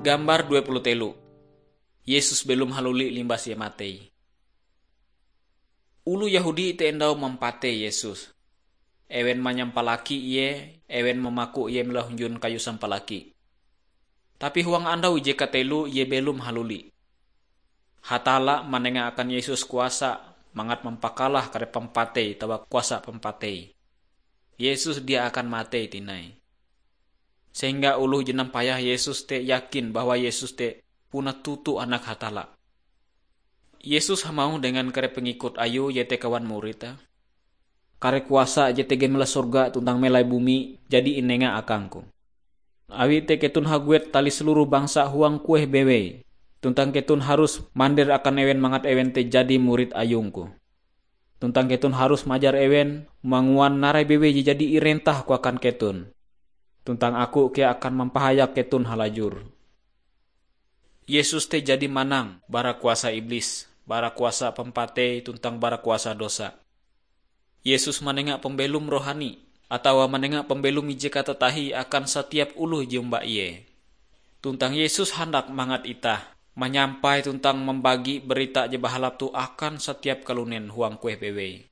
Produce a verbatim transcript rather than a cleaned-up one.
Gambar dua puluh telu. Yesus belom haluli limbas Ie matei. Oloh Yehudi te endau mampatei Yesus. Ewen manyampalaki Ie, ewen mamaku Ie melai hunjun kayu sampalaki. Tapi huang andau ije kateloe Ie belom haluli. Hatalla manenga akan Yesus kuasa mangat mampakalah kare pampatei atawa kuasa pampatei. Yesus dia akan matei tinai. Sehingga oloh je nampayah Yesus te yakin bahwa Yesus te puna toto Anak Hatalla. Yesus hamauh dengan kare pengikut Ayue iete kawan murid te, "Kare kuasa je tega mela sorga tuntang melai bumi jadi inenga akang-Ku. Awi te keton haguet tali seluruh bangsa huang kueh bewei, tuntang keton harus mandir akan ewen mangat ewen te jadi murid Ayung-Ku. Tuntang keton harus majar ewen manguan narai bewei je jadi irentah-Ku akan keton. Tuntang Aku kea akan mampahayak keton halajur." Yesus te jadi manang bara kuasa iblis, bara kuasa pampatei tuntang bara kuasa dosa. Yesus manenga pambelom rohani, atawa manenga pambelom ije katatahie akan satiap oloh je omba Ie. Tuntang Yesus handak mangat itah manyampai tuntang mambagi barita je bahalap toh akan satiap kalunen huang kueh bewei.